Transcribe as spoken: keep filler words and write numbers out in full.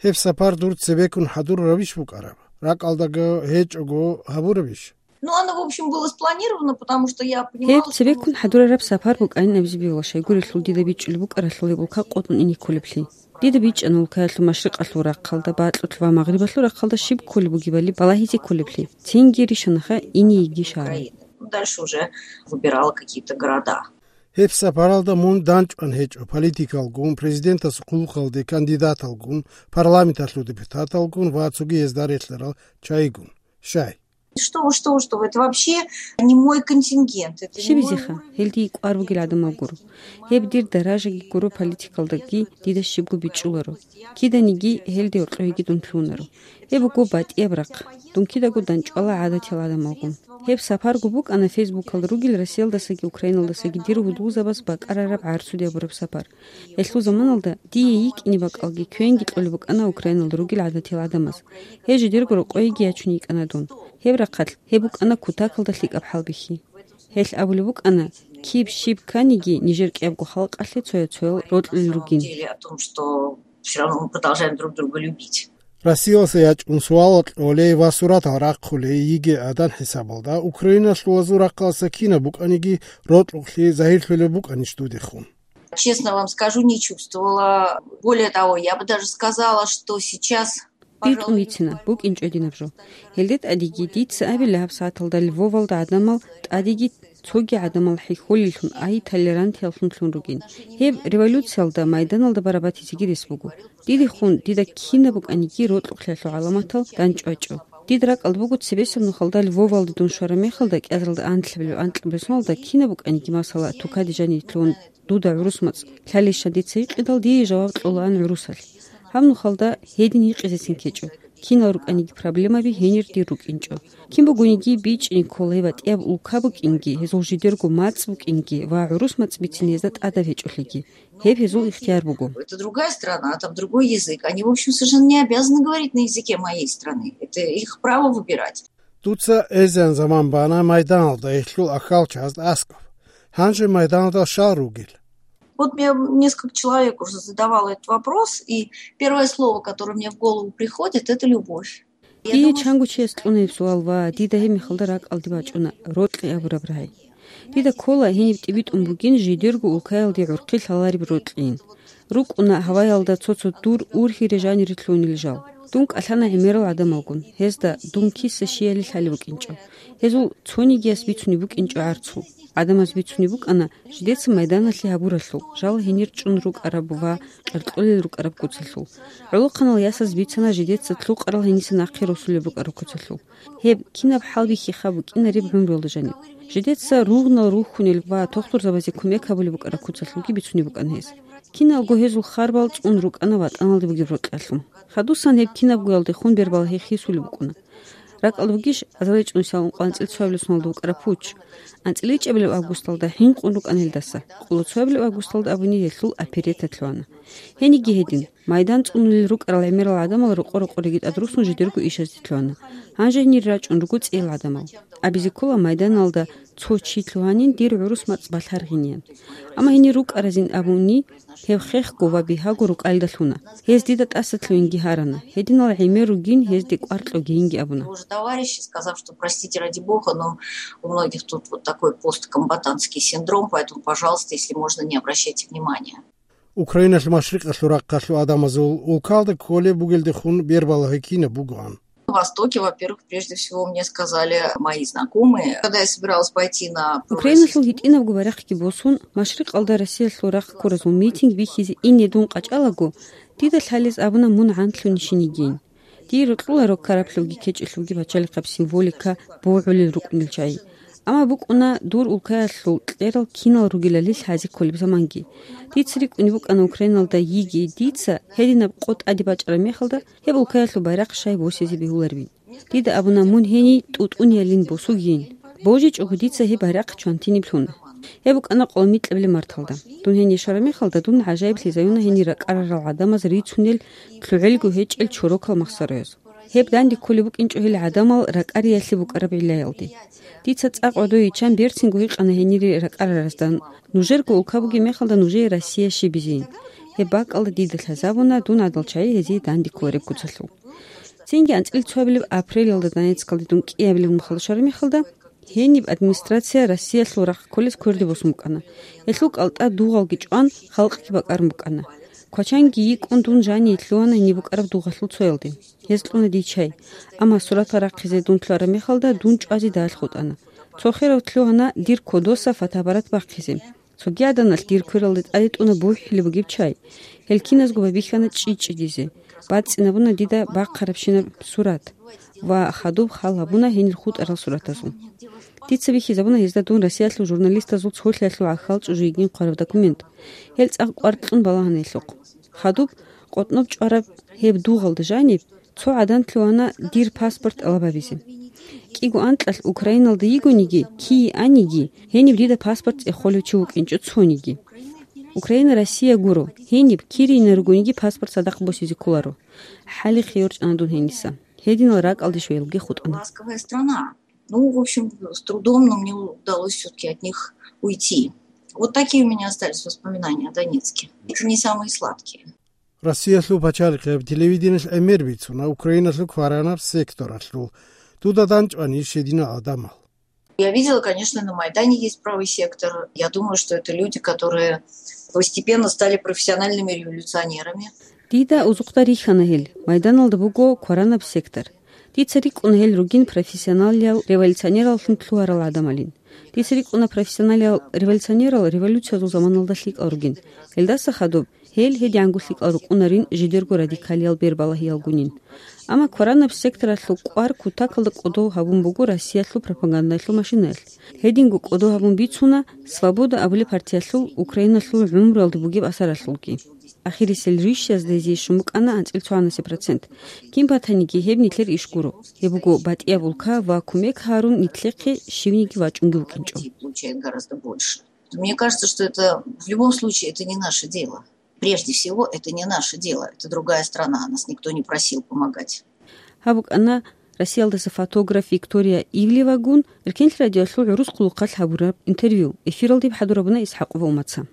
Гьеб сапар дур цебеккун хӀадур равиш букӀараб, ракӀалдаго гьечӀого гьабурабищ? Ну, оно, в общем, было спланировано, потому что я понимала, Гьеб цебеккун хӀадурараб сапар букӀанин абизе бегьула, щайгурелъул дида бичӀчӀулеб букӀаралъул гьеб улка къотӀун ине кколеблъи. Дида бичӀчӀана улкаялъул машрикъалъул рахъалда, бакьулъ ва магърибалъул рахъалда щиб кколеб бугебали балагьизе кколеблъи. Цинги ришанаха ине йиги шагьар. Ну, дальше уже выбирала какие-то города. Гьеб сапаралда мун данчӀван гьечӀо политикалгун, президентасул хъулухъалде кандидаталгун, парламенталъул депутаталгун ва цоги гьезда релълъарал чагӀигун. Щай? Что вы, что вы, что вы, это вообще не мой контингент, это не мой Щибизеха, уровень. Гьел дие кӀвар бугел гӀадамал гуро. Гьеб дир даражаги гуро, политикалдаги дида щибго бичӀчӀуларо. Киданиги гьелде гьоркьоеги дун лъугьунаро. Гьеб буго батӀияб рахъ. Дун кидаго данчӀвала гӀадатиял гӀадамалгун. Гьеб сапарго букӀана Фейсбукалда ругел Россиялдасаги Украиналдасаги дир гьудулзабаз бакӀарараб гӀарцуде абураб сапар. Гьелъул заманалда дие йикӀине бакӀалги квенги кьолеб букӀана Украиналда ругел гӀадатиял гӀадамаз. Гьез жидерго рокъойги ячун йикӀана дун. Гьеб рахъалъ гьеб букӀана кутакалда лъикӀаб хӀалбихьи. Гьелъ абулеб букӀана, киб щиб кканиги, нижер кӀиябго халкъалъе цоял-цоял рокьулел ругин. Деле о том, что всё равно мы продолжаем друг друга любить. Россиялдаса ячӀун суалал кьолей ва суратал рахъулей йигей гӀадан хӀисабалда, Украиналъулазул рахъалдаса кинаб букӀаниги рокьукълъи загьирлъулеб букӀанищ дудехун? Честно вам скажу, не чувствовала. Более того, я бы даже сказала, что сейчас, БитӀун пожалуй, бицина, букӀинчӀо динаб жо. Гьелде тӀадеги дица абила гьабсагӀаталда Львовалда гӀадамал тӀадеги цоги гӀадамал хӀехьолеллъун, ай толерантияллъунлъун ругин. Гьеб революциялда, майданалда барабатизеги рес буго. Дидехун, дида кинаб букӀаниги рокьукълъиялъул гӀаламатал данчӀвачӀо. Дида ракӀалда буго цебесеб нухалда Львовалде дун щвараб мехалда, кӀиазаралда анлъабилеб анкьабилеб соналда кинаб букӀаниги, масала, тукаде жаниб лъугьун дуда гӀурус мацӀ лъалищан дица гьикъидал, дие жаваб кьола гьан гӀурусалъ. Гьаб нухалда гьедин гьикъизецин ккечӀо. Кинал рукӀаниги проблемаби гьенир дир рукӀинчӀо. Кин бугониги бичӀчӀине ккола гьеб батӀияб улка букӀинги, гьезул жидерго мацӀ букӀинги ва гӀурус мацӀ бицин гьезда тӀадаб гьечӀолъиги. Гьеб гьезул ихтияр буго. Это другая страна, там другой язык. Они, в общем, совершенно не обязаны говорить на языке моей страны. Это их право выбирать. Дуца эзеян заман бана майданалда гьелъул ахьалчагӀазда аскӀоб. Гьанже майданалда щал ругел? Вот мне несколько человек уже задавало этот вопрос, и первое слово, которое мне в голову приходит, это любовь. Я Дие думаю, чанго чияс кьуна гьеб суал ва дида гьеб мехалда ракӀалде бачӀуна рокьи абураб рагӀи. Дида ккола гьениб тӀибитӀун бугин жидерго улкаялде гӀурхъи лъалареб рокьин. РукӀуна гьаваялда цо-цо дур ургьире жанире лъугьунел жал. Дун кӀалъана гӀемерал гӀадамалгун, гьезда дун киса-щиялил лъалеб букӀинчӀо. Гьезул цонигияс бицунеб букӀинчӀо гӀарцул. ГӀадамаз бицунеб букӀана жидеца майданалъе гьабуралъул, жал гьенир чӀун рукӀараб ва къеркьолел рукӀараб куцалъул. ГӀолохъанал ясаз бицана жидеца лъукъарал гьениса нахъе росулеб рукӀараб куцалъул. Гьеб кинаб хӀалбихьиха букӀинареб гӀумруялда жаниб. Жидеца ругънал рухьунел ва тохтурзабазе кумек гьабулеб букӀараб куцалъулги бицунеб букӀана гьез. Киналго гьезул харбал цӀун рукӀана ватӀаналде бугеб рокьалъул. Хадусан гьеб кинабгоялдехун бербал гьехисулеб букӀуна. РакӀалда бугищ азарилчӀунсал ункъоялда анцӀила цоабилеб соналда букӀараб путч? АнцӀила ичӀабилеб августалда хӀинкъун рукӀана гьелдаса. Къоло цоабилеб августалда абуни гьелъул оперетат лъугьана. Гьениги гьедин, майдан цӀунулел рукӀарал гӀемерал гӀадамал рокъо-рокъореги тӀадруссун жидерго ишазде лъугьана. Гьанже гьенир рачӀун руго цӀиял гӀадамал. Абизе ккола майданалда цо чи лъугьанин дир гӀурус мацӀ балъаргъиниян. Амма гьенир рукӀаразин абуни, гьеб хехго ва бигьаго рукӀалда лъуна. Гьез дида тӀаса лъугьинги гьарана. Гьединал гӀемер ругин, гьезде кӀвар кьогейинги абуна. Тоже товарищи, сказав, что, простите, ради бога, но у многих тут вот такой посткомбатантский синдром, поэтому, пожалуйста, если можно, не обращайте внимания. Украиналъул машрикъалъул рахъалъул гӀадамазул улкалда кколеб бугелдехун бербалагьи кинаб бугоан. На Востоке, во-первых, прежде всего мне сказали мои знакомые, когда я собиралась пойти на Украиналъул гьитӀинабго барахъги босун, машрикъалда Россиялъул рахъ ккуразул митинг бихьизе ине дун къачӀалаго, дида лъалез абуна мун гӀантлъунищин йигин. Дие рокьуларо караблъувги кечӀелъувги пачалихъаб символика богьулел рукӀунел чагӀи. Амма букӀуна дур улкаялъул кьерал кинал ругелали лъазе кколеб заманги. Дица рикӀкӀунеб букӀана Украиналда йиги дица гьединаб къо тӀаде бачӀараб мехалда, гьеб улкаялъул байрахъ щай босизе бегьуларебин. Дида абуна мун гьениб тӀутӀуниялин босугейин. БожичӀого дица гьеб байрахъ чвантиниб лъуна. Гьеб букӀана къоло микьабилеб марталда. Дун гьенир щвараб мехалда, дун гӀажаиблъизаюна гьенир ракӀарарал гӀадамаз рицунел лъугӀелго гьечӀел чорокал махсарояз. Гьеб данде кколеб букӀинчӀо гьел гӀадамал ракӀариялъе букӀараб гӀиллаялде. Дица цӀакъ ва дой иччан берцинго гьикъана гьенире ракӀараразда, нужерго улка бугеб мехалда нужее Россия щибизейин. Гьеб бакӀалда дида лъазабуна дун гӀадал чагӀи гьезие данде кколареб куцалъул. Цинги анцӀила цоабилеб апрелалда Донецкалде дун кӀиабилеб нухалда щвараб мехалда, гьениб администрация Россиялъул рахъ кколез кверде босун букӀана. Гьелъул кӀалтӀа дугъалги чӀван, халкъги бакӀарун букӀана. Квачанги йикӀун дун жание лъугьана гьениб букӀараб дугъалъул цоялде. Гьез кьуна дий чай, амма суратал рахъизе дун лъугьараб мехалда дун чӀвазе дагьал хутӀана. Цо херав лъугьана дир кодоса фотоаппарат бахъизе. Цоги гӀаданалъ дир квералда тӀаде тӀуна бухӀулеб бугеб чай. Гьел киназго байбихьана чӀи-чӀидизе. БацӀцӀинабуна дида бахъарабщинаб сурат ва хадуб хал гьабуна гьенир хутӀарал суратазул. Дица бихьизабуна гьезда дун Россиялъул журналистазул цолъиялъул гӀахьал чӀужу йигин хъвараб документ. Гьел цӀакъ кӀвар кьун балагьана гьелъухъ. Хадуб къотӀноб чӀвараб гьеб дугъалда жаниб цо гӀадан лъугьана дир паспорт тӀалаб гьабизе. КӀиго анкьалъ Украиналда йигониги, кие аниги, гьениб дида паспорт цӀехолев чи вукӀинчӀо цониги. Украина Россия гуро, гьениб кириина ругониги паспорт цадахъ босизе кколаро. ХӀалихъе йорчӀана дун гьениса. Гьединал ракӀалде щвелги хутӀана. Ласковая страна. Ну, в общем, с трудом, но мне удалось всё-таки от них уйти. Вот такие у меня остались воспоминания о Донецке. Это не самые сладкие. Россиялъул пачалихъияб телевидениялъ гӀемер бицуна Украиналъул кваранаб секторалъул. Дуда данчӀванищ гьединал гӀадамал? Я видела, конечно, на Майдане есть правый сектор. Я думаю, что это люди, которые постепенно стали профессиональными революционерами. Дида узухъда рихьана гьел, Майданалда буго кваранаб сектор. Дица рикӀкӀуна гьел ругин профессионалиял революционераллъун лъугьарал гӀадамалин. Дица рикӀкӀуна профессионалиял революционерал революциязул заманалда лъикӀал ругин. Гьелдаса хадуб гьел гьедигӀанго лъикӀал рукӀунарин жидерго радикалиял бербалагьиялгунин. Амма кваранаб секторалъул кӀвар кутакалда кӀодо гьабун буго Россиялъул пропагандалъул машинаялъ. Гьединго кӀодо гьабун бицуна «Свобода» абулеб партиялъул Украиналъул гӀумруялда бугеб асаралъулги. Ахирисел рищазда гьезие щун букӀана анцӀила цогӀанасеб процент. Кин батаниги, гьеб нилъер иш гуро. Гьеб буго батӀияб улка ва кумек гьарун нилъехъе щивниги вачӀунги вукӀинчӀо. Получает гораздо больше. Мне кажется, что это в любом случае это не наше дело. Прежде всего, это не наше дело. Это другая страна. Нас никто не просил помогать. Гьаб букӀана Россиялдаса фотограф Виктория Ивлевагун Эркенлъи радиоялъул гӀурус хъулухъалъ гьабураб интервью. Эфиралде хӀадурабуна ИсхӀакъова Умаца.